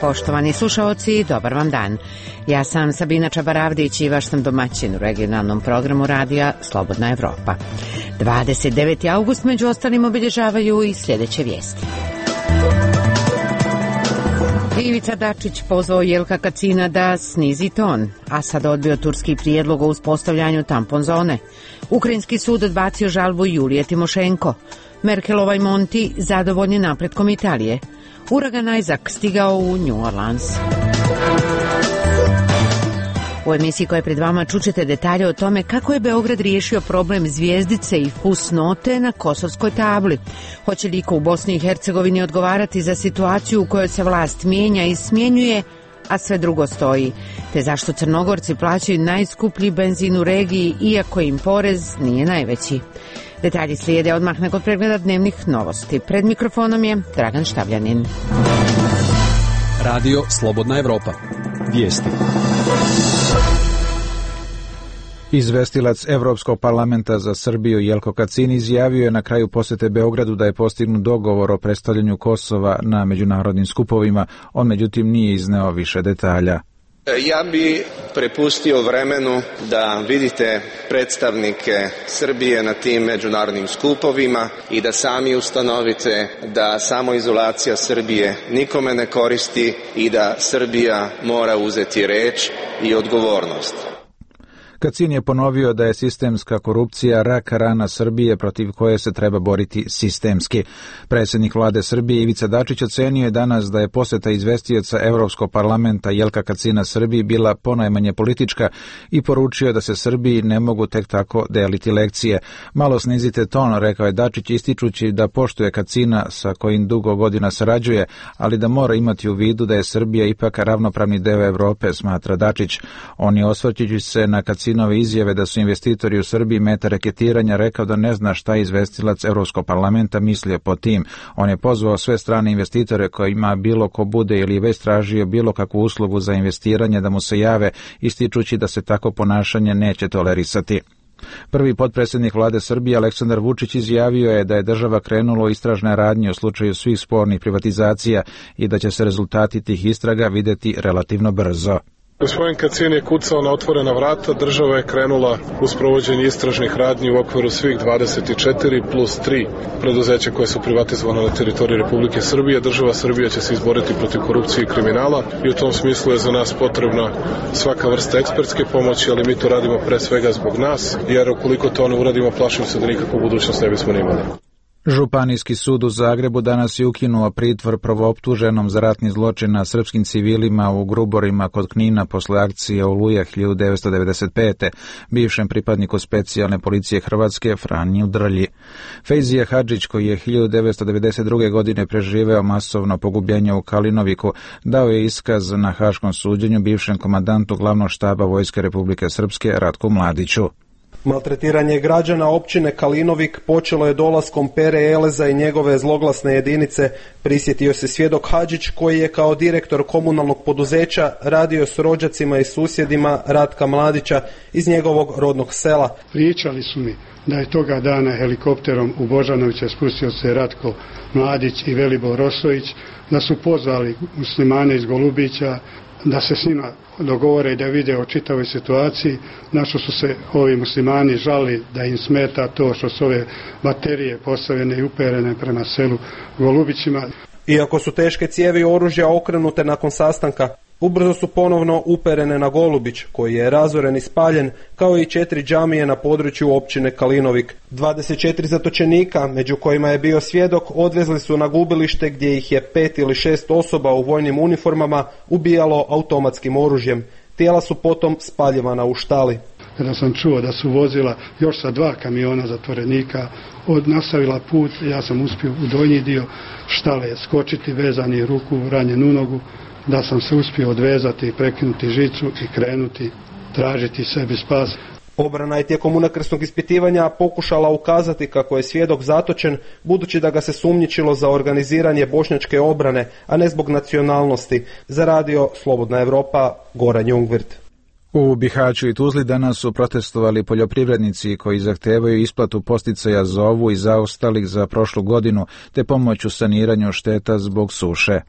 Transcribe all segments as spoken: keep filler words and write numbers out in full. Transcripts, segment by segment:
Poštovani slušaoci, dobar vam dan. Ja sam Sabina Čabaravdić i vaš sam domaćin u regionalnom programu radija Slobodna Evropa. dvadeset deveti august među ostalim obilježavaju i sljedeće vijesti. Ivica Dačić pozvao Jelka Kacina da snizi ton, a sad odbio turski prijedlog o uspostavljanju tampon zone. Ukrajinski sud odbacio žalbu Julije Timošenko. Merkelova i Monti zadovoljni napretkom Italije. Uragan Isaac stigao u New Orleans. U emisiji koja je pred vama čućete detalje o tome kako je Beograd riješio problem zvijezdice i fusnote na kosovskoj tabli. Hoće li iko u Bosni i Hercegovini odgovarati za situaciju u kojoj se vlast mijenja i smjenjuje, a sve drugo stoji, te zašto Crnogorci plaćaju najskuplji benzin u regiji iako im porez nije najveći. Detalji slijede odmah nakon pregleda dnevnih novosti. Pred mikrofonom je Dragan Štavljanin. Radio Slobodna Evropa. Vijesti. Izvestilac Evropskog parlamenta za Srbiju Jelko Kacin izjavio je na kraju posjete Beogradu da je postignut dogovor o predstavljanju Kosova na međunarodnim skupovima. On međutim nije izneo više detalja. Ja bi prepustio vremenu da vidite predstavnike Srbije na tim međunarodnim skupovima i da sami ustanovite da samoizolacija Srbije nikome ne koristi i da Srbija mora uzeti reč i odgovornost. Kacin je ponovio da je sistemska korupcija rak rana Srbije protiv koje se treba boriti sistemski. Predsjednik vlade Srbije Ivica Dačić ocenio je danas da je posjeta izvestioca Evropskog parlamenta Jelka Kacina Srbiji bila ponajmanje politička i poručio da se Srbiji ne mogu tek tako deliti lekcije. Malo snizite ton, rekao je Dačić, ističući da poštuje Kacina sa kojim dugo godina sarađuje, ali da mora imati u vidu da je Srbija ipak ravnopravni deo Evrope, smatra Dačić. On je osvrćući se na Kacina nove izjave da su investitori u Srbiji meta reketiranja rekao da ne zna šta izvestilac Evropskog parlamenta mislio po tim. On je pozvao sve strane investitore kojima bilo ko bude ili već tražio bilo kakvu uslugu za investiranje da mu se jave, ističući da se tako ponašanje neće tolerisati. Prvi potpredsjednik vlade Srbije Aleksandar Vučić izjavio je da je država krenula u istražne radnje u slučaju svih spornih privatizacija i da će se rezultati tih istraga vidjeti relativno brzo. Gospodin Kacin je kucao na otvorena vrata, država je krenula u sprovođenje istražnih radnji u okviru svih dvadeset četiri plus tri preduzeća koje su privatizovane na teritoriji Republike Srbije. Država Srbija će se izboriti protiv korupcije i kriminala i u tom smislu je za nas potrebna svaka vrsta ekspertske pomoći, ali mi to radimo pre svega zbog nas, jer ukoliko to ne uradimo, plašim se da nikakvu budućnost ne bismo ni imali. Županijski sud u Zagrebu danas je ukinuo pritvor prvooptuženom za ratni zločin na srpskim civilima u Gruborima kod Knina posle akcije Oluja hiljadu devetsto devedeset pete. bivšem pripadniku specijalne policije Hrvatske Franji Drlji. Fejzija Hadžić, koji je hiljadu devetsto devedeset druge. godine preživeo masovno pogubljenje u Kalinoviku, dao je iskaz na haškom suđenju bivšem komandantu glavnog štaba Vojske Republike Srpske Ratku Mladiću. Maltretiranje građana općine Kalinovik počelo je dolaskom Pere Eleza i njegove zloglasne jedinice, prisjetio se svjedok Hadžić koji je kao direktor komunalnog poduzeća radio s rođacima i susjedima Ratka Mladića iz njegovog rodnog sela. Pričali su mi da je toga dana helikopterom u Božanovića spustio se Ratko Mladić i Velibor Rosović, da su pozvali muslimane iz Golubića da se s njima dogovore i da vide o čitavoj situaciji, na što su se ovi muslimani žali da im smeta to što su ove baterije postavljene i uperene prema selu Golubićima. Iako su teške cijevi oružja okrenute nakon sastanka, ubrzo su ponovno uperene na Golubić, koji je razoren i spaljen, kao i četiri džamije na području općine Kalinovik. dvadeset četiri zatočenika, među kojima je bio svjedok, odvezli su na gubilište gdje ih je pet ili šest osoba u vojnim uniformama ubijalo automatskim oružjem. Tijela su potom spaljivana u štali. Kada sam čuo da su vozila još sa dva kamiona zatvorenika od nastavila put, ja sam uspio u donji dio štale skočiti, vezani ruku, ranjen u nogu, da sam se uspio odvezati, prekinuti žicu i krenuti tražiti sebi spas. Obrana je tijekom unakrsnog ispitivanja pokušala ukazati kako je svjedok zatočen, budući da ga se sumnjičilo za organiziranje bošnjačke obrane, a ne zbog nacionalnosti. Za radio Slobodna Evropa, Goran Jungwirth. U Bihaću i Tuzli danas su protestovali poljoprivrednici koji zahtevaju isplatu posticaja za ovu i zaostalih za prošlu godinu te pomoć u saniranju šteta zbog suše.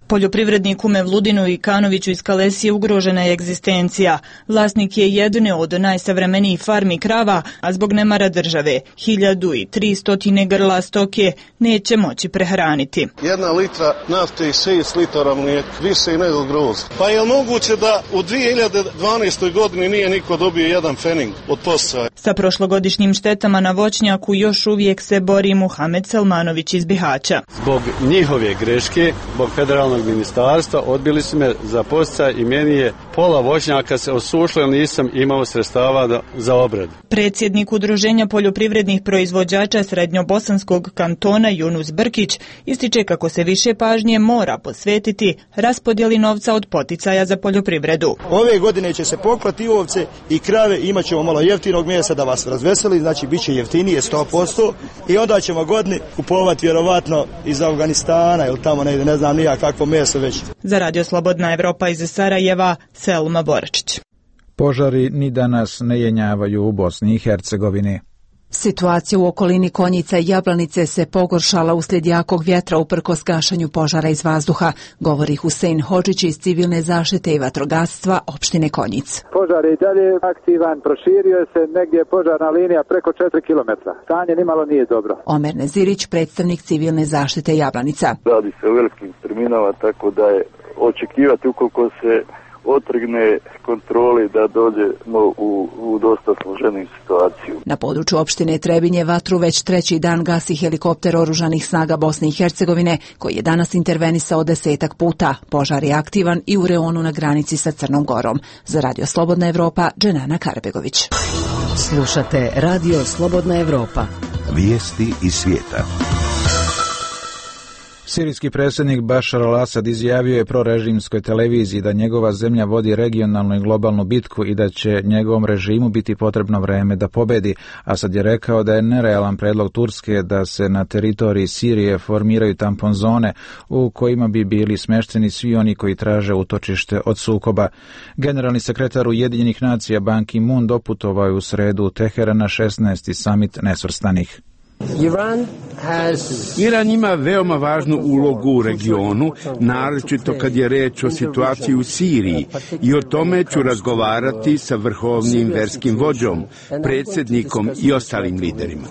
Poljoprivredniku Mevludinu i Kanoviću iz Kalesije ugrožena je egzistencija. Vlasnik je jedne od najsavremenijih farmi krava, a zbog nemara države hiljadu i tristotine grla stoke neće moći prehraniti. Jedna litra nafte i šest litara mlijeka, više nego groz. Pa je li moguće da u dvije hiljade dvanaestoj godini nije niko dobio jedan fening od podsticaja? Sa prošlogodišnjim štetama na voćnjaku još uvijek se bori Muhamed Selmanović iz Bihaća. Zbog njihove greške, zbog federalnog ministarstva, odbili su me za podsticaj i meni je pola voćnjaka se osušilo jer nisam imao sredstava za obradu. Predsjednik Udruženja poljoprivrednih proizvođača Srednjobosanskog kantona Yunus Brkić ističe kako se više pažnje mora posvetiti raspodjeli novca od poticaja za poljoprivredu. Ove godine će se poklati i ovce i krave, imat ćemo malo jeftinog mjesta da vas razveseli, znači bit će jeftinije sto posto i onda ćemo godini kupovati vjerovatno iz Afganistana ili tamo negdje, ne znam nija kakvo meso već. Za Radio Slobodna Evropa iz Sarajeva, Selma Boračić. Požari ni danas ne jenjavaju u Bosni i Hercegovini. Situacija u okolini Konjica i Jablanice se pogoršala uslijed jakog vjetra uprkos gašenju požara iz vazduha, govori Husein Hodžić iz civilne zaštite i vatrogastva opštine Konjic. Požar je i dalje aktivan, proširio se, negdje je požarna linija preko četiri kilometra. Stanje nimalo nije dobro. Omer Nezirić, predstavnik civilne zaštite Jablanica. Radi se o velikim terminama, tako da je očekivati ukoliko se otrgne kontroli da dođemo u, u dosta složeniju situaciju. Na području opštine Trebinje vatru već treći dan gasi helikopter oružanih snaga Bosne i Hercegovine, koji je danas intervenisao desetak puta. Požar je aktivan i u reonu na granici sa Crnom Gorom. Za Radio Slobodna Evropa, Dženana Karbegović. Slušate Radio Slobodna Evropa. Vijesti iz svijeta. Sirijski predsjednik Bašar al-Asad izjavio je prorežimskoj televiziji da njegova zemlja vodi regionalnu i globalnu bitku i da će njegovom režimu biti potrebno vreme da pobedi. Asad je rekao da je nerealan predlog Turske da se na teritoriji Sirije formiraju tampon zone u kojima bi bili smešteni svi oni koji traže utočište od sukoba. Generalni sekretar Ujedinjenih nacija Ban Ki-moon doputovao je u sredu u Teheran na šesnaesti samit nesvrstanih. Iran ima veoma važnu ulogu u regionu, naročito kad je reč o situaciji u Siriji, i o tome ću razgovarati sa vrhovnim verskim vođom, predsjednikom i ostalim liderima.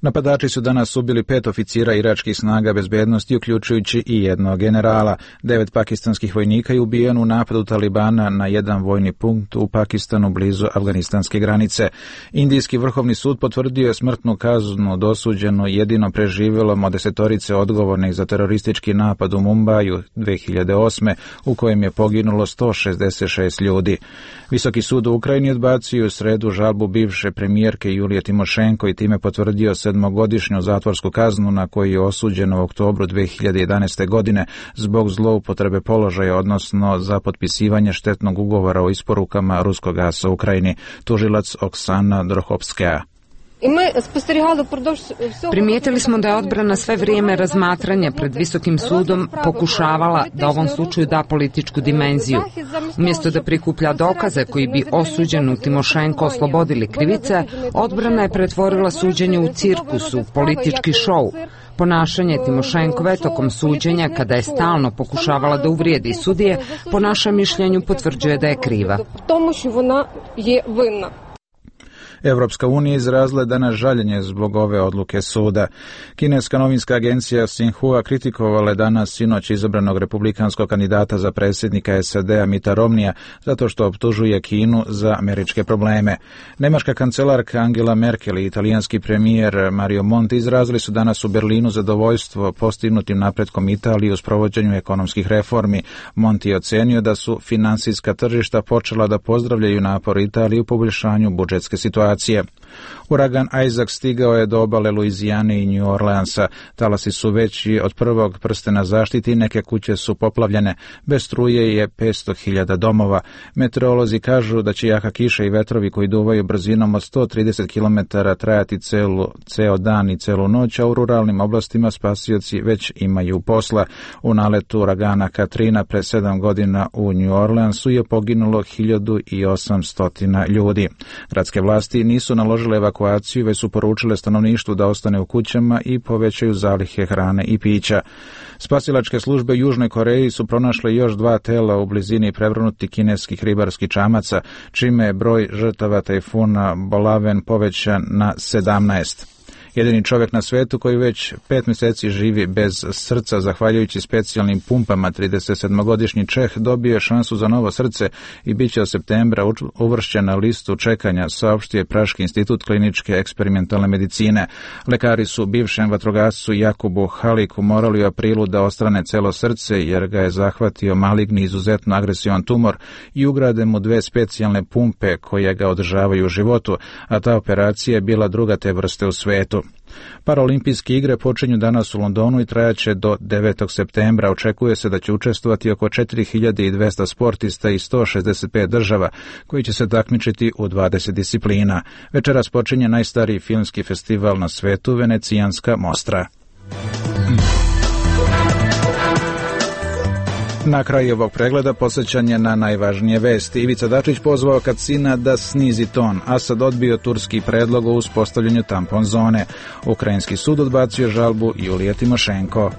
Napadači su danas ubili pet oficira iračkih snaga bezbednosti, uključujući i jednog generala. Devet pakistanskih vojnika je ubijeno u napadu Talibana na jedan vojni punkt u Pakistanu blizu afganistanske granice. Indijski vrhovni sud potvrdio je smrtnu kaznu dosuđenu jedino preživjelom od desetorice odgovornih za teroristički napad u Mumbaju dve hiljade osme u kojem je poginulo sto šezdeset šest ljudi. Visoki sud u Ukrajini odbacio u sredu žalbu bivše premijerke Julije Timošenko i time potvrdio sedmogodišnju zatvorsku kaznu na koju je osuđeno u oktobru dve hiljade jedanaeste. godine zbog zloupotrebe položaja, odnosno za potpisivanje štetnog ugovora o isporukama ruskog gasa u Ukrajini. Tužilac Oksana Drohovskaja. Primijetili smo da je odbrana sve vrijeme razmatranja pred Visokim sudom pokušavala da ovom slučaju da političku dimenziju. Umjesto da prikuplja dokaze koji bi osuđenu Timošenko oslobodili krivice, odbrana je pretvorila suđenje u cirkusu, politički šou. Ponašanje Timošenkove tokom suđenja, kada je stalno pokušavala da uvrijedi sudije, po našem mišljenju potvrđuje da je kriva. Evropska unija izrazila je danas žaljenje zbog ove odluke suda. Kineska novinska agencija Xinhua kritikovala je danas sinoć izabranog republikanskog kandidata za predsjednika S A D-a Mitta Romneya zato što optužuje Kinu za američke probleme. Nemačka kancelarka Angela Merkel i italijanski premijer Mario Monti izrazili su danas u Berlinu zadovoljstvo postignutim napretkom Italije u sprovođenju ekonomskih reformi. Monti je ocenio da su finansijska tržišta počela da pozdravljaju napor Italije u poboljšanju budžetske situacije. situacije. Uragan Isaac stigao je do obale Luizijane i New Orleansa. Talasi su veći od prvog prstena zaštite i neke kuće su poplavljene. Bez struje je petsto hiljada domova. Meteorolozi kažu da će jaka kiša i vetrovi koji duvaju brzinom od sto trideset kilometara trajati celu, ceo dan i celu noć, a u ruralnim oblastima spasioci već imaju posla. U naletu uragana Katrina pre sedam godina u New Orleansu je poginulo hiljadu osamsto ljudi. Gradske vlasti nisu naložile evakuaciju, već su poručile stanovništvu da ostane u kućama i povećaju zalihe hrane i pića. Spasilačke službe u Južnoj Koreji su pronašle još dva tela u blizini prevrnutih kineskih ribarskih čamaca, čime je broj žrtava tajfuna Bolaven povećan na sedamnaest. Jedini čovjek na svetu koji već pet mjeseci živi bez srca, zahvaljujući specijalnim pumpama, tridesetsedmogodišnji Čeh dobio je šansu za novo srce i bit će od septembra uvršćen na listu čekanja, saopštio je Praški institut kliničke eksperimentalne medicine. Lekari su bivšem vatrogascu Jakubu Haliku morali u aprilu da ostrane celo srce jer ga je zahvatio maligni izuzetno agresivan tumor i ugrade mu dve specijalne pumpe koje ga održavaju u životu, a ta operacija je bila druga te vrste u svetu. Paraolimpijske igre počinju danas u Londonu i trajaće do devetog septembra. Očekuje se da će učestvovati oko četiri hiljade dvesta sportista iz sto šezdeset pet država koji će se takmičiti u dvadeset disciplina. Večeras počinje najstariji filmski festival na svetu, Venecijanska Mostra. Na kraju ovog pregleda posjećanje na najvažnije vesti. Ivica Dačić pozvao Kacina da snizi ton. Asad odbio turski predlog o uspostavljanju tampon zone. Ukrajinski sud odbacio žalbu Julije Timošenko.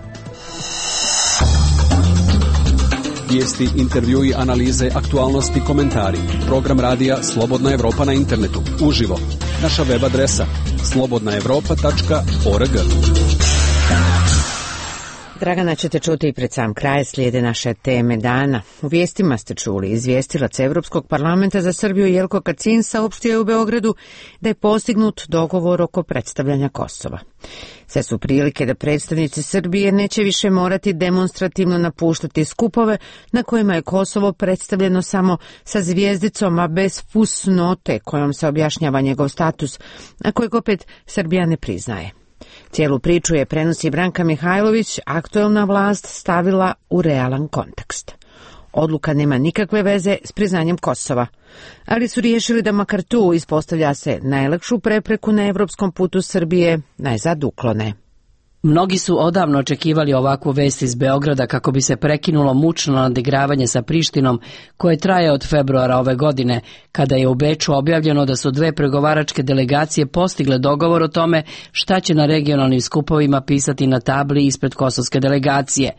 Vijesti, intervjui, analize, aktualnosti, komentari. Program radija Slobodna Evropa na internetu. Uživo. Naša web adresa slobodna evropa tačka org. Dragana ćete čuti i pred sam kraj, slijede naše teme dana. U vijestima ste čuli, izvjestilac Evropskog parlamenta za Srbiju Jelko Kacin saopštio je u Beogradu da je postignut dogovor oko predstavljanja Kosova. Sve su prilike da predstavnici Srbije neće više morati demonstrativno napuštati skupove na kojima je Kosovo predstavljeno samo sa zvijezdicom, a bez fusnote kojom se objašnjava njegov status, a kojeg opet Srbija ne priznaje. Cijelu priču je, prenosi Branka Mihajlović, aktuelna vlast stavila u realan kontekst. Odluka nema nikakve veze s priznanjem Kosova, ali su riješili da makar tu, ispostavlja se, najlakšu prepreku na evropskom putu Srbije najzad uklone. Mnogi su odavno očekivali ovakvu vest iz Beograda kako bi se prekinulo mučno nadigravanje sa Prištinom koje traje od februara ove godine, kada je u Beču objavljeno da su dve pregovaračke delegacije postigle dogovor o tome šta će na regionalnim skupovima pisati na tabli ispred kosovske delegacije,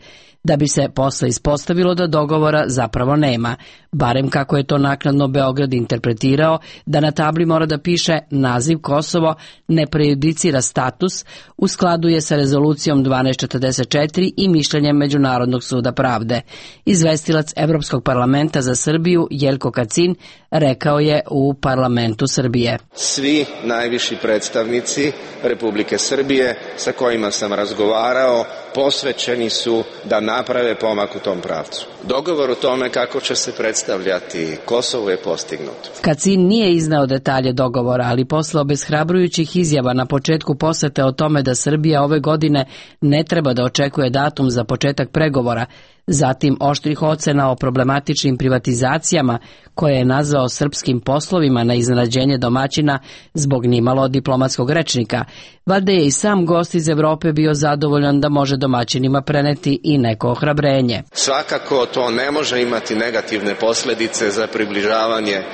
da bi se posle ispostavilo da dogovora zapravo nema, barem kako je to naknadno Beograd interpretirao, da na tabli mora da piše naziv Kosovo ne prejudicira status, u skladu je sa rezolucijom dvanaest četrdeset četiri i mišljenjem Međunarodnog suda pravde. Izvestilac Evropskog parlamenta za Srbiju Jelko Kacin rekao je u parlamentu Srbije. Svi najviši predstavnici Republike Srbije sa kojima sam razgovarao posvećeni su da naprave pomak u tom pravcu. Dogovor o tome kako će se predstavljati Kosovo je postignut. Kacin nije izneo detalje dogovora, ali posle obeshrabrujućih izjava na početku posete o tome da Srbija ove godine ne treba da očekuje datum za početak pregovora, zatim oštrih ocena o problematičnim privatizacijama koje je nazvao srpskim poslovima na iznenađenje domaćina zbog nimalo diplomatskog rečnika, valjda je i sam gost iz Evrope bio zadovoljan da može domaćinima preneti i neko ohrabrenje. Svakako to ne može imati negativne posljedice za približavanje e,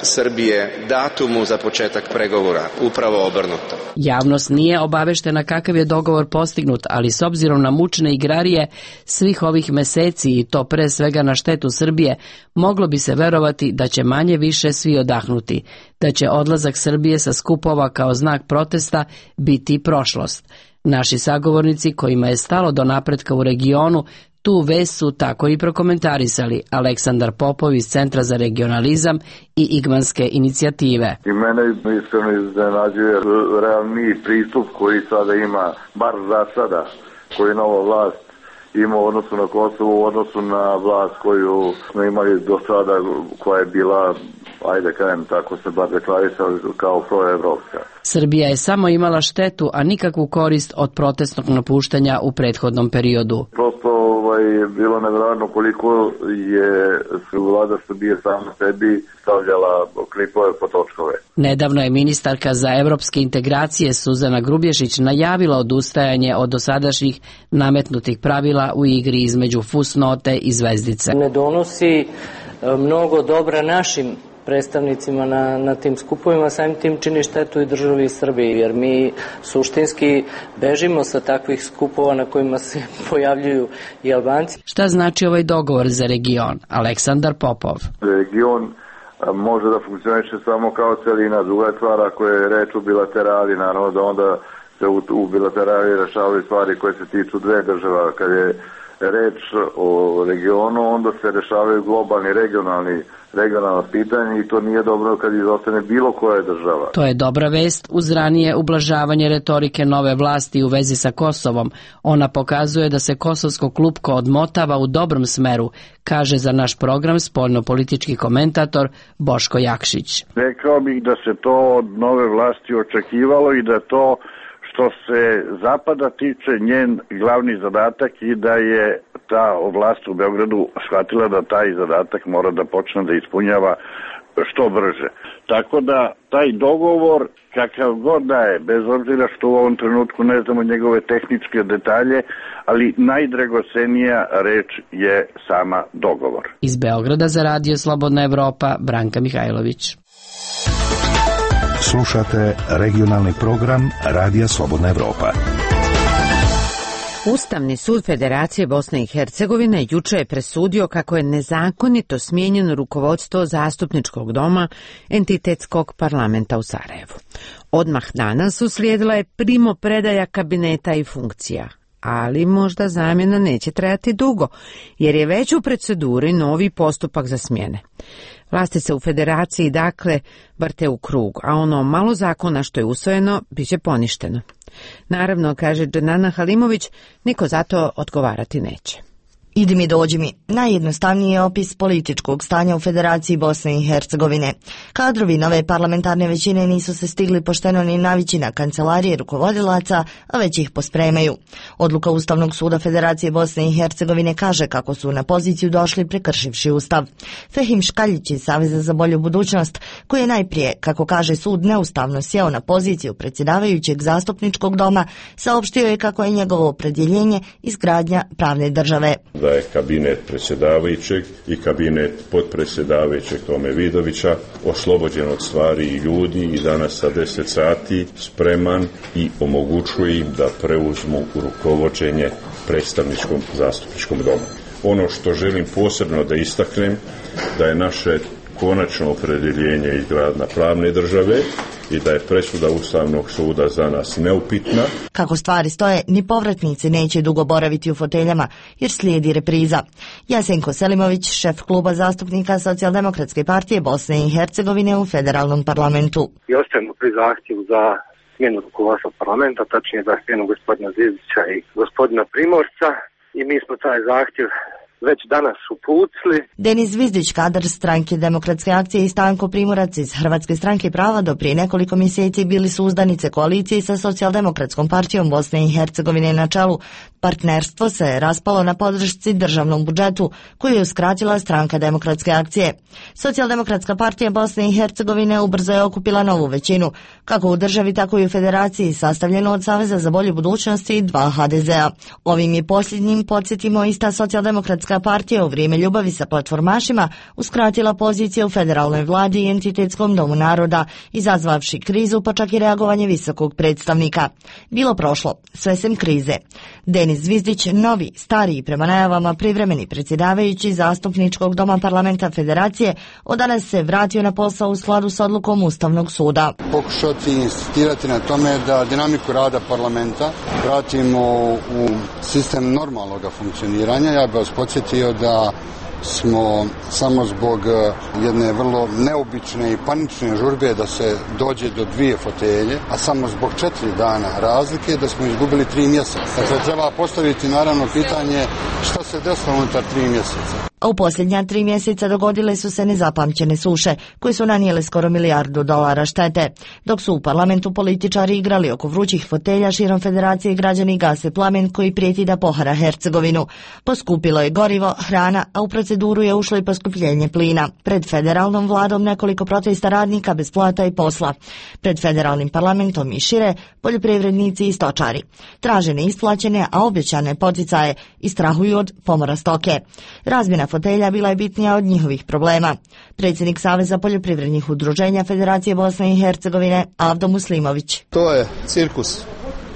Srbije datumu za početak pregovora, upravo obrnuto. Javnost nije obaveštena kakav je dogovor postignut, ali s obzirom na mučne igrarije svih ovih meseci i to pre svega na štetu Srbije, moglo bi se verovati da će manje više svi odahnuti, da će odlazak Srbije sa skupova kao znak protesta biti prošlost. Naši sagovornici kojima je stalo do napretka u regionu tu vest su tako i prokomentarisali. Aleksandar Popov iz Centra za regionalizam i Igmanske inicijative. I mene iskreno iznenađuje realni pristup koji sada ima, bar za sada, koji nova vlast ima u odnosu na Kosovo, u odnosu na vlast koju smo imali do sada, koja je bila ajde kajem, tako se bar deklarisali kao proevropska. Srbija je samo imala štetu, a nikakvu korist od protestnog napuštanja u prethodnom periodu. Prosto ovaj, bilo nevjerojatno koliko je vlada Srbije sama sebi stavljala klipove po točkove. Nedavno je ministarka za evropske integracije Suzana Grubješić najavila odustajanje od dosadašnjih nametnutih pravila u igri između fusnote i zvezdice. Ne donosi mnogo dobra našim predstavnicima na, na tim skupovima, samim tim čini štetu i državi Srbiji, jer mi suštinski bežimo sa takvih skupova na kojima se pojavljuju i Albanci. Šta znači ovaj dogovor za region? Aleksandar Popov. Region može da funkcioniše samo kao celina. Druga stvar, ako je reč u bilaterali, naravno da onda se u, u bilaterali rešavaju stvari koje se tiču dve država. Kad je reč o regionu, onda se rešavaju globalni, regionalni regionalna pitanja i to nije dobro kad izostane bilo koja država. To je dobra vest uz ranije ublažavanje retorike nove vlasti u vezi sa Kosovom. Ona pokazuje da se kosovsko klupko odmotava u dobrom smeru, kaže za naš program spoljnopolitički komentator Boško Jakšić. Rekao bih da se to od nove vlasti očekivalo i da to što se Zapada tiče njen glavni zadatak i da je ta vlast u Beogradu shvatila da taj zadatak mora da počne da ispunjava što brže. Tako da taj dogovor, kakav god da je, bez obzira što u ovom trenutku ne znamo njegove tehničke detalje, ali najdragocenija reč je sama dogovor. Iz Beograda za Radio Slobodna Evropa, Branka Mihajlović. Slušate regionalni program Radija Slobodna Evropa. Ustavni sud Federacije Bosne i Hercegovine juče je presudio kako je nezakonito smijenjeno rukovodstvo Zastupničkog doma entitetskog parlamenta u Sarajevu. Odmah danas uslijedila je primopredaja kabineta i funkcija, ali možda zamjena neće trajati dugo, jer je već u proceduri novi postupak za smjene. Vlasti se u Federaciji dakle vrte u krug, a ono malo zakona što je usvojeno bit će poništeno. Naravno, kaže Dženana Halimović, niko za to odgovarati neće. Idi mi, dođi mi. Najjednostavniji je opis političkog stanja u Federaciji Bosne i Hercegovine. Kadrovi nove parlamentarne većine nisu se stigli pošteno ni navići na kancelarije rukovodilaca, a već ih pospremaju. Odluka Ustavnog suda Federacije Bosne i Hercegovine kaže kako su na poziciju došli prekršivši Ustav. Fehim Škaljić iz Saveza za bolju budućnost, koji je najprije, kako kaže sud, neustavno sjeo na poziciju predsjedavajućeg Zastupničkog doma, saopštio je kako je njegovo opredjeljenje izgradnja pravne države. Da je kabinet predsjedavajućeg i kabinet potpredsjedavajućeg Tome Vidovića oslobođen od stvari i ljudi i danas sa deset sati spreman i omogućuje im da preuzmu rukovođenje predstavničkom zastupničkom domu. Ono što želim posebno da istaknem, da je naše konačno opredjeljenje izgradnja pravne države i da je presuda Ustavnog suda za nas neupitna. Kako stvari stoje, ni povratnici neće dugo boraviti u foteljama, jer slijedi repriza. Jasenko Selimović, šef kluba zastupnika Socijaldemokratske partije Bosne i Hercegovine u federalnom parlamentu. I ostajemo pri zahtjevu za smjenu rukovodstva parlamenta, tačnije za smjenu gospodina Zvijezdića i gospodina Primorca, i mi smo taj zahtjev već danas uputili. Denis Zvizdić, kadar stranke Demokratske akcije, i Stanko Primorac iz Hrvatske stranke prava do prije nekoliko mjeseci bili su uzdanice koalicije sa Socijaldemokratskom partijom Bosne i Hercegovine na čelu. Partnerstvo se raspalo na podršci državnom budžetu, koju je uskratila stranka Demokratske akcije. Socijaldemokratska partija Bosne i Hercegovine ubrzo je okupila novu većinu, kako u državi, tako i u Federaciji, sastavljenu od Saveza za bolju budućnost i dva ha de zea. Ovim je posljednjim, podsjetimo, ista Socijaldemokratska partija u vrijeme ljubavi sa platformašima uskratila pozicije u federalnoj vladi i entitetskom domu naroda, izazvavši krizu, pa čak i reagovanje visokog predstavnika. Bilo prošlo, sve sem krize. Denis Zvizdić, novi, stariji, prema najavama privremeni predsjedavajući Zastupničkog doma parlamenta Federacije, od danas se vratio na posao u skladu s odlukom Ustavnog suda. Pokušati insistirati na tome da dinamiku rada parlamenta vratimo u sistem normalnog funkcioniranja. Ja bih vas podsjetio da smo samo zbog jedne vrlo neobične i panične žurbe da se dođe do dvije fotelje, a samo zbog četiri dana razlike da smo izgubili tri mjeseca. Dakle, treba postaviti naravno pitanje šta se desilo unutar tri mjeseca. A u posljednja tri mjeseca dogodile su se nezapamćene suše, koje su nanijele skoro milijardu dolara štete. Dok su u parlamentu političari igrali oko vrućih fotelja širom federacije, građani gase plamen koji prijeti da pohara Hercegovinu. Poskupilo je gorivo, hrana, a u proceduru je ušlo i poskupljenje plina. Pred federalnom vladom nekoliko protesta radnika bez plata i posla. Pred federalnim parlamentom i šire poljoprivrednici i stočari. Traže neisplaćene, a obećane poticaje i strahuju od pomora stoke. Razmjena fotelja bila je bitnija od njihovih problema. Predsjednik Saveza poljoprivrednih udruženja Federacije Bosne i Hercegovine Avdo Muslimović. To je cirkus.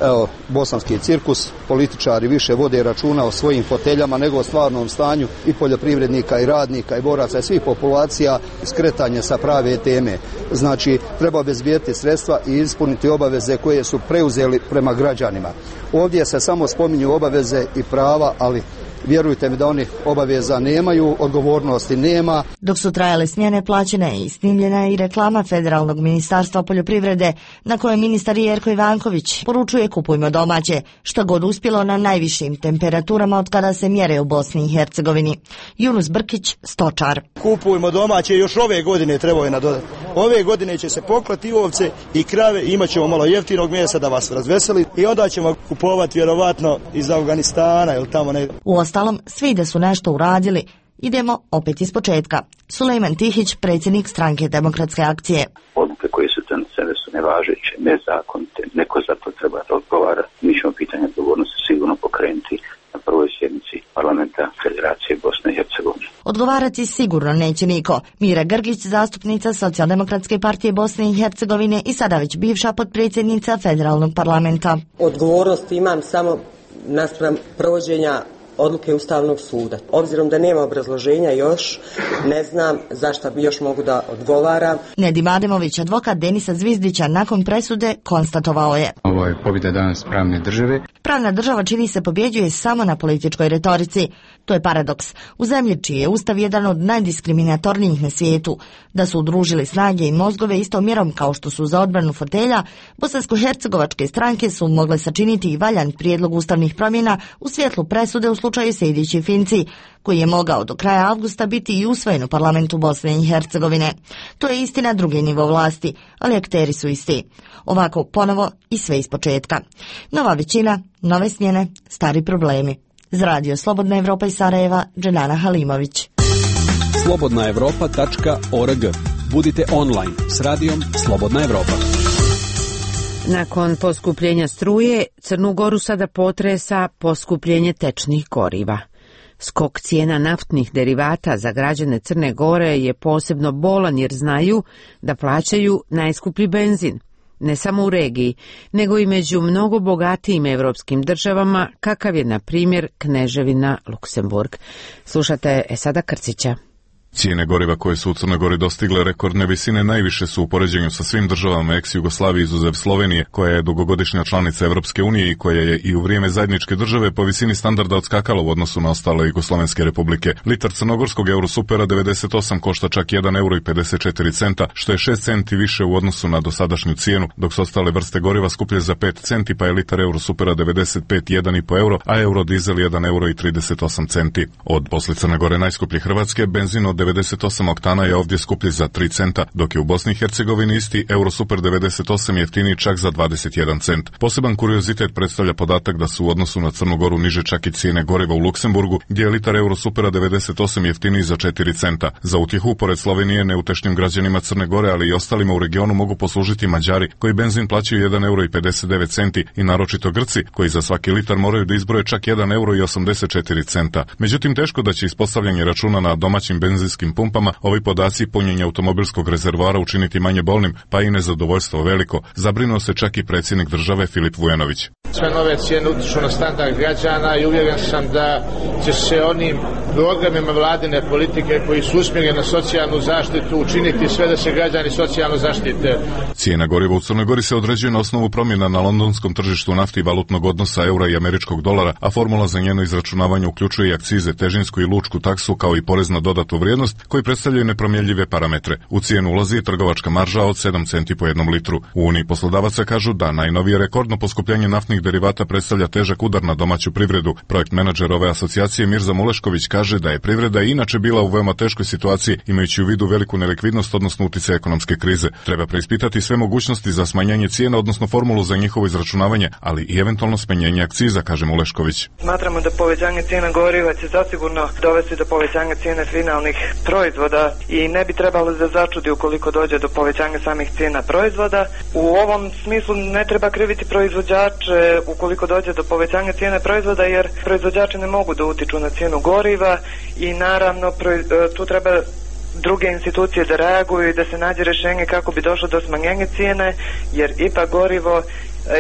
Evo, bosanski cirkus, političari više vode računa o svojim foteljama nego o stvarnom stanju i poljoprivrednika i radnika i boraca i svih populacija, skretanje sa prave teme. Znači, treba obezbijeti sredstva i ispuniti obaveze koje su preuzeli prema građanima. Ovdje se samo spominju obaveze i prava, ali vjerujte mi da oni obaveza nemaju, odgovornosti nema. Dok su trajale smjene, plaćena je i snimljena i reklama Federalnog ministarstva poljoprivrede, na kojoj ministar Jerko Ivanković poručuje kupujmo domaće, što god uspjelo na najvišim temperaturama od kada se mjere u Bosni i Hercegovini. Yunus Brkić, stočar. Kupujmo domaće, još ove godine trebao je nadodati. Ove godine će se poklati ovce i krave, imat ćemo malo jeftinog mjesa da vas razveseli i onda ćemo kupovati vjerovatno iz Afganistana ili tamo ne. Uostalom, svi da su nešto uradili. Idemo opet iz početka. Sulejman Tihić, predsjednik stranke Demokratske akcije. Odluke koje su donesene su nevažeće, nezakonite, neko za to treba da odgovara. Mi ćemo pitanje odgovornosti sigurno pokrenuti na prvoj sjednici parlamenta Federacije Bosne i Hercegovine. Odgovarati sigurno neće niko. Mira Grgić, zastupnica Socijaldemokratske partije Bosne i Hercegovine i sada već bivša potpredsjednica Federalnog parlamenta. Odgovornost imam samo naspram provođenja odluke Ustavnog suda. Obzirom da nema obrazloženja još, ne znam zašto bi još mogu da odgovaram. Nedim Ademović, advokat Denisa Zvizdića, nakon presude konstatovao je: ovo je pobjeda danas pravne države. Pravna država čini se pobjeđuje samo na političkoj retorici. To je paradoks. U zemlji čiji je Ustav jedan od najdiskriminatornijih na svijetu. Da su udružili snage i mozgove istom mjerom kao što su za odbranu fotelja, bosansko-hercegovačke stranke su mogle sačiniti i valjan prijedlog ustavnih promjena u svjetlu presude u slučaju Sejdić Finci, koji je mogao do kraja avgusta biti i usvojen u parlamentu Bosne i Hercegovine. To je istina drugi nivo vlasti, ali akteri su isti. Ovako ponovo i sve iz početka. Nova većina, nove smjene, stari problemi. Za radio Slobodna Evropa iz Sarajeva, Dženana Halimović. slobodna evropa tačka org. Budite online s radijom Slobodna Evropa. Nakon poskupljenja struje, Crnu Goru sada potresa poskupljenje tečnih goriva. Skok cijena naftnih derivata za građane Crne Gore je posebno bolan jer znaju da plaćaju najskuplji benzin. Ne samo u regiji, nego i među mnogo bogatijim evropskim državama, kakav je, na primjer, Kneževina Luksemburg. Slušate Esada Krcića. Cijene goriva koje su u Crnoj Gori dostigle rekordne visine najviše su u poređenju sa svim državama ex-Jugoslavije izuzev Slovenije, koja je dugogodišnja članica Evropske unije i koja je i u vrijeme zajedničke države po visini standarda odskakala u odnosu na ostale jugoslovenske republike. Litar crnogorskog Eurosupera devedeset osam košta čak jedan euro i pedeset četiri centa, što je šest centi više u odnosu na dosadašnju cijenu, dok su ostale vrste goriva skuplje za pet centi, pa je litar Eurosupera devedeset pet jedan i po euro, a Eurodizel jedan euro i trideset osam centi. Od posle Crne Gore najskuplje Hrvatske, benzin od devedeset osam oktana je ovdje skuplji za tri centa, dok je u Bosni i Hercegovini isti Eurosuper devedeset osam jeftiniji čak za dvadeset jedan cent. Poseban kuriozitet predstavlja podatak da su u odnosu na Crnu Goru niže čak i cijene goriva u Luksemburgu, gdje je litar Eurosupera devedeset osam jeftiniji za četiri centa. Za utjehu, pored Slovenije, neutešnim građanima Crne Gore, ali i ostalima u regionu mogu poslužiti Mađari, koji benzin plaćaju jedan euro i pedeset devet centi, i naročito Grci, koji za svaki litar moraju da izbroje čak jedan euro i osamdeset četiri centa. Međutim, teško da će ispostavljanje računa na domaćim benzinskim pumpama ovi podaci punjenja automobilskog rezervoara učiniti manje bolnim, pa i nezadovoljstvo veliko, zabrinuo se čak i predsjednik države Filip Vujanović. Sve nove cijene utiču na standard građana i uvjeren sam da će se onim programima vladine politike koji su usmjereni na socijalnu zaštitu učiniti sve da se građani socijalno zaštite. Cijena goriva u Crnoj Gori se određuje na osnovu promjena na londonskom tržištu nafti i valutnog odnosa eura i američkog dolara, a formula za njeno izračunavanje uključuje i akcize, težinsku i lučku taksu, kao i porez na dodatu vrijednost, koji predstavljaju nepromjenjive parametre. U cijenu ulazi i trgovačka marža od sedam centi po jednom litru. U Uniji poslodavaca kažu da najnovije rekordno poskupljenje naftnih derivata predstavlja težak udar na domaću privredu. Projekt menadžer ove asocijacije Mirza Mulešković kaže kaže da je privreda inače bila u veoma teškoj situaciji, imajući u vidu veliku nelikvidnost, odnosno utjecaj ekonomske krize. Treba preispitati sve mogućnosti za smanjenje cijena, odnosno formulu za njihovo izračunavanje, ali i eventualno smanjenje akciza, kaže Mulešković. Smatramo da povećanje cijena goriva će zasigurno dovesti do povećanja cijene finalnih proizvoda i ne bi trebalo da začudi ukoliko dođe do povećanja samih cijena proizvoda. U ovom smislu ne treba kriviti proizvođače ukoliko dođe do povećanja cijene proizvoda, jer proizvođači ne mogu da utiču na cijenu goriva i naravno tu treba druge institucije da reaguju i da se nađe rješenje kako bi došlo do smanjenja cijene, jer ipak gorivo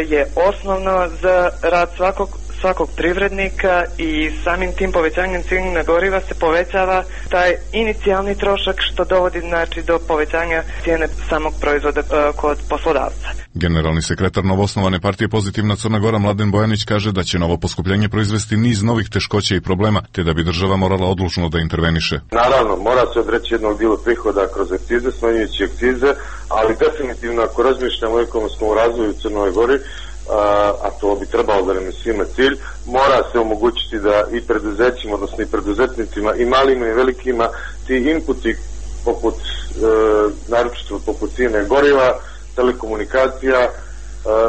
je osnovno za rad svakog svakog privrednika i samim tim povećanjem cijene goriva se povećava taj inicijalni trošak što dovodi znači do povećanja cijene samog proizvoda uh, kod poslodavca. Generalni sekretar novoosnovane partije Pozitivna Crna Gora Mladen Bojanić kaže da će novo poskupljenje proizvesti niz novih teškoća i problema, te da bi država morala odlučno da interveniše. Naravno, mora se odreći jednog dijela prihoda kroz akcize, smanjujući akcize, ali definitivno ako razmišljamo o ekonomskom razvoju u Crnoj Gori, a to bi trebalo da nam je svima cilj, mora se omogućiti da i preduzećima, odnosno i preduzetnicima, i malima i velikima, ti inputi poput, e, naročito poput cijene goriva, telekomunikacija, e,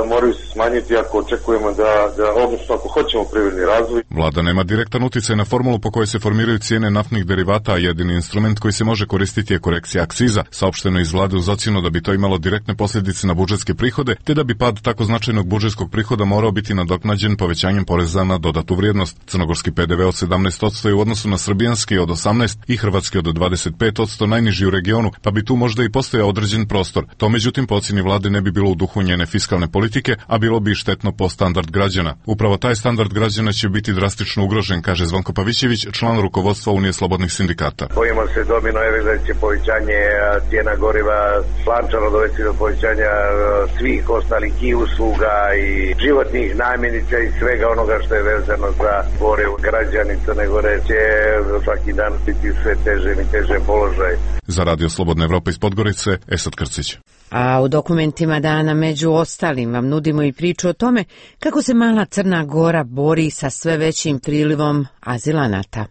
moraju se smanjiti ako očekujemo da, da, odnosno ako hoćemo privredni razvoj. Vlada nema direktan utjecaj na formulu po kojoj se formiraju cijene naftnih derivata, a jedini instrument koji se može koristiti je korekcija akciza. Saopšteno iz vlade uz ocjenu da bi to imalo direktne posljedice na budžetske prihode, te da bi pad tako značajnog budžetskog prihoda morao biti nadoknađen povećanjem poreza na dodatu vrijednost. Crnogorski P D V od sedamnaest posto je u odnosu na srbijanski od osamnaest i hrvatski od dvadeset pet posto najniži u regionu, pa bi tu možda i postojao određen prostor. To međutim po ocjeni vlade ne bi bilo u duhu njene fiskalne politike, a bilo bi štetno po standard građana. Upravo taj standard građana će biti drastično ugrožen, kaže Zvonko Pavićević, član rukovodstva Unije slobodnih sindikata. Bojimo se domino efekta će povećanje cijena goriva slančano dovesti do povećanja svih ostalih i usluga i životnih namirnica i svega onoga što je vezano za gore građani Crne Gore će svaki dan biti sve teže i teže položaj. Za Radio Slobodna Evropa iz Podgorice, Esad Krcić. A u dokumentima dana među ostalim vam nudimo i priču o tome kako se mala Crna Gora bori sa sve većim prilivom azilanata.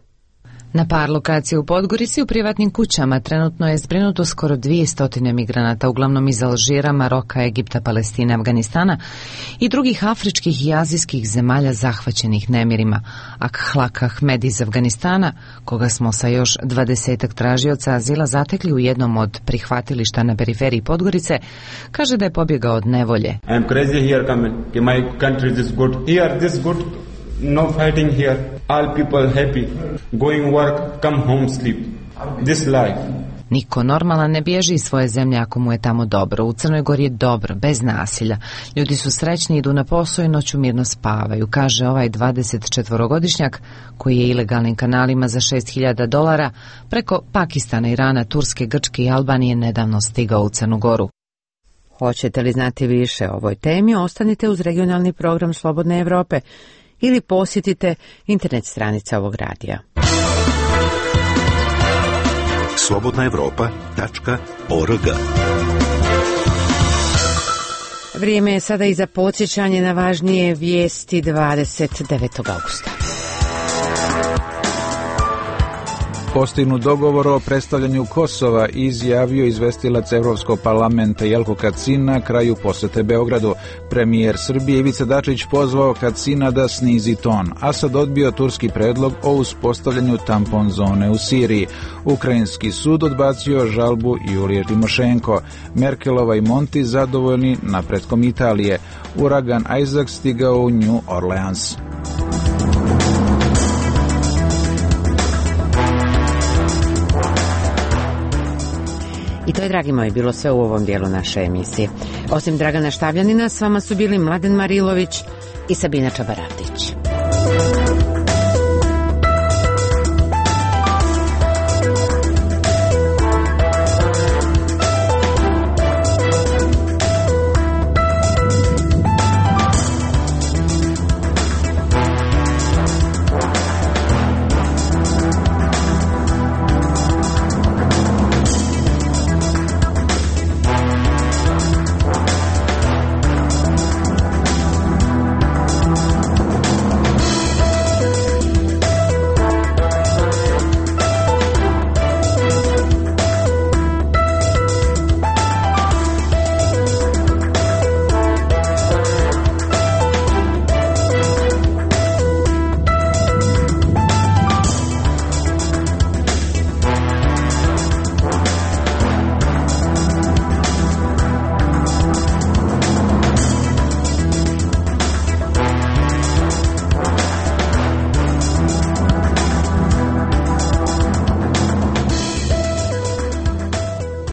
Na par lokacija u Podgorici u privatnim kućama trenutno je zbrinuto skoro dvjesto migranata, uglavnom iz Alžira, Maroka, Egipta, Palestine, Afganistana i drugih afričkih i azijskih zemalja zahvaćenih nemirima. Akhlak Ahmed iz Afganistana, koga smo sa još dvadesetak tražioca azila zatekli u jednom od prihvatilišta na periferiji Podgorice, kaže da je pobjegao od nevolje. I am crazy here coming. My country is good. Here this good. No fighting here. All people happy. Going work, come home, sleep. This life. Niko normalan ne bježi iz svoje zemlje ako mu je tamo dobro. U Crnoj Gori je dobro, bez nasilja. Ljudi su srećni, idu na posao i noću mirno spavaju, kaže ovaj dvadesetčetvorogodišnjak koji je ilegalnim kanalima za šest hiljada dolara preko Pakistana, Irana, Turske, Grčke i Albanije nedavno stigao u Crnu Goru. Hoćete li znati više o ovoj temi? Ostanite uz regionalni program Slobodne Evrope ili posjetite internet stranice ovog radija. slobodna evropa tačka org. Vrijeme je sada i za podsjećanje na važnije vijesti dvadeset devetog augusta. Postignut dogovor o predstavljanju Kosova izjavio izvestilac Evropskog parlamenta Jelko Kacin na kraju posete Beogradu. Premijer Srbije Ivica Dačić pozvao Kacina da snizi ton. Asad odbio turski predlog o uspostavljanju tampon zone u Siriji. Ukrajinski sud odbacio žalbu Julije Timošenko. Merkelova i Monti zadovoljni napretkom Italije. Uragan Isaac stigao u New Orleans. I to je, dragi moji, bilo sve u ovom dijelu naše emisije. Osim Dragana Štavljanina, s vama su bili Mladen Marilović i Sabina Čabaradić.